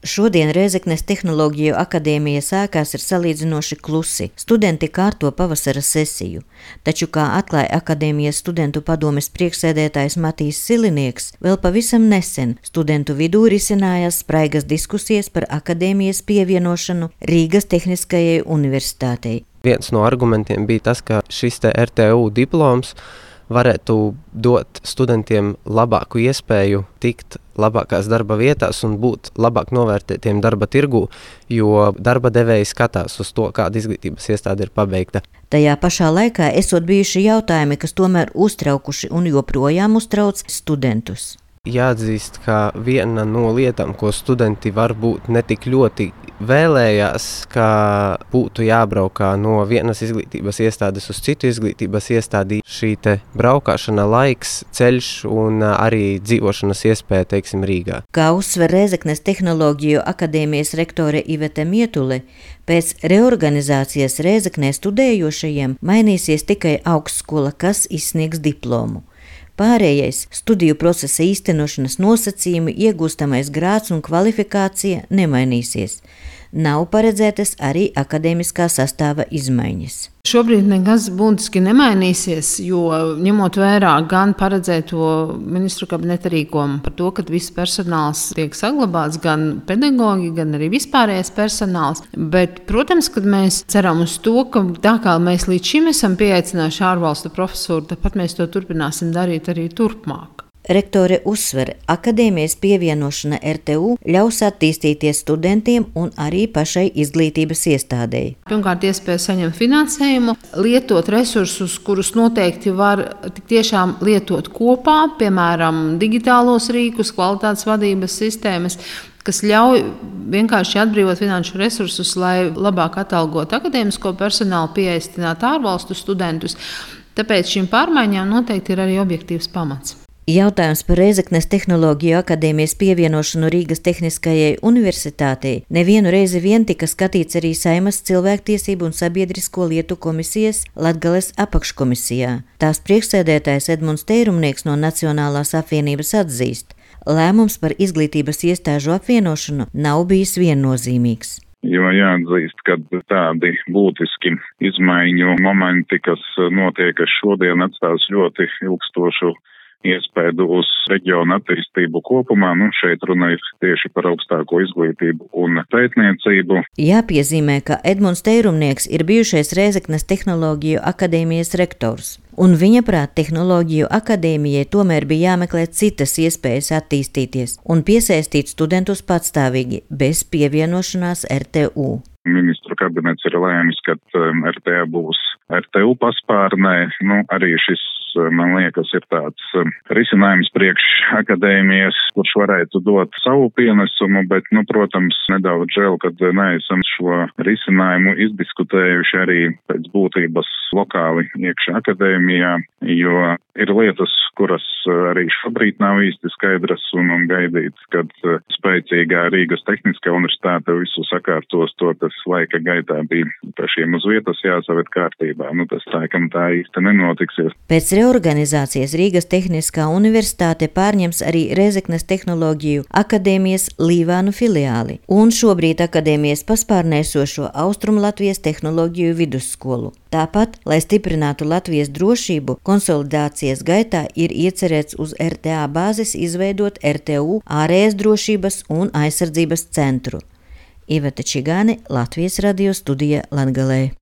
Šodien Rēzeknes Tehnoloģiju akadēmija sākās ir salīdzinoši klusi. Studenti kārto pavasara sesiju. Taču, kā atklāja akadēmijas studentu padomes priekšsēdētājs Matīs Silinieks, vēl pavisam nesen studentu vidū risinājās spraigas diskusijas par akadēmijas pievienošanu Rīgas Tehniskajai universitātei. Viens no argumentiem bija tas, ka šis RTU diploms varētu dot studentiem labāku iespēju tikt labākās darba vietās un būt labāk novērtētiem darba tirgū, jo darba devēji skatās uz to, kāda izglītības iestāde ir pabeigta. Tajā pašā laikā esot bijuši jautājumi, kas tomēr uztraukuši un joprojām uztrauc studentus. Jāatzīst, ka viena no lietām, ko studenti varbūt netik ļoti vēlējās, ka būtu jābraukā no vienas izglītības iestādes uz citu izglītības iestādi, šī te braukāšana, laiks, ceļš un arī dzīvošanas iespēja, teiksim, Rīgā. Kā uzsver Rēzeknes Tehnoloģiju akadēmijas rektore Ivete Mietule, pēc reorganizācijas Rēzeknē studējošajiem mainīsies tikai augstskola, kas izsniegs diplomu. Pārējais studiju procesa īstenošanas nosacījumi, iegūstamais grāds un kvalifikācija nemainīsies. Nav paredzētas arī akadēmiskā sastāva izmaiņas. Šobrīd nekas būtiski nemainīsies, jo ņemot vērā gan paredzēto ministru kabineta rīkojumu par to, ka viss personāls tiek saglabāts, gan pedagoģi, gan arī vispārējais personāls. Bet, protams, kad mēs ceram uz to, ka tā kā mēs līdz šim esam pieaicinājuši ārvalstu profesūru, tāpat mēs to turpināsim darīt arī turpmāk. Rektore uzsver, akadēmijas pievienošana RTU ļaus attīstīties studentiem un arī pašai izglītības iestādēji. Pirmkārt, iespēja saņemt finansējumu, lietot resursus, kurus noteikti var tik tiešām lietot kopā, piemēram, digitālos rīkus, kvalitātes vadības sistēmas, kas ļauj vienkārši atbrīvot finanšu resursus, lai labāk atalgotu akadēmisko personālu, pieaicināt ārvalstu studentus. Tāpēc šīm pārmaiņām noteikti ir arī objektīvs pamats. Jautājums par Rēzeknes Tehnoloģiju akadēmijas pievienošanu Rīgas Tehniskajai universitātei nevienu reizi vien tika skatīts arī Saeimas cilvēktiesību un sabiedrisko lietu komisijas Latgales apakškomisijā. Tās priekšsēdētājs Edmunds Teirumnieks no Nacionālās apvienības atzīst, lēmums par izglītības iestāžu apvienošanu nav bijis viennozīmīgs. Jo jāatzīst, ka tādi būtiski izmaiņu momenti, kas notiek šodien, atstās ļoti ilgstošu iespēju uz reģionu attīstību kopumā. Šeit runa ir tieši par augstāko izglītību un pētniecību. Jāpiezīmē, ka Edmunds Teirumnieks ir bijušais Rēzeknes Tehnoloģiju akadēmijas rektors. Un viņa prāt Tehnoloģiju akadēmijai tomēr bija jāmeklē citas iespējas attīstīties un piesaistīt studentus patstāvīgi, bez pievienošanās RTU. Ministru kabinets ir lēmis, ka RTA būs RTU paspārnē. Arī šis, man liekas, ir tāds risinājums priekš akadēmijas, kurš varētu dot savu pienesumu, bet, protams, nedaudz žēl, kad neesam šo risinājumu izdiskutējuši arī pēc būtības lokāli iekšā akadēmijā, jo ir lietas, kuras arī šobrīd nav īsti skaidras un gaidīt, kad spēcīgā Rīgas Tehniskā universitāte visu sakārtos, to tas laika gaitā bija pašiem uz vietas jāsaved kārtībā. Tas tā īsti nenotiksies. Pēc reorganizācijas Rīgas Tehniskā universitāte pārņems arī Rēzeknes Tehnoloģiju akadēmijas Līvānu filiāli un šobrīd akadēmijas paspārnē esošo Austrumlatvijas tehnoloģiju vidusskolu. Tāpat, lai stiprinātu Latvijas drošību, konsolidācijas gaitā ir iecerēts uz RTA bāzes izveidot RTU ārējas drošības un aizsardzības centru. Ivete Čigāne, Latvijas radio studija Latgalē.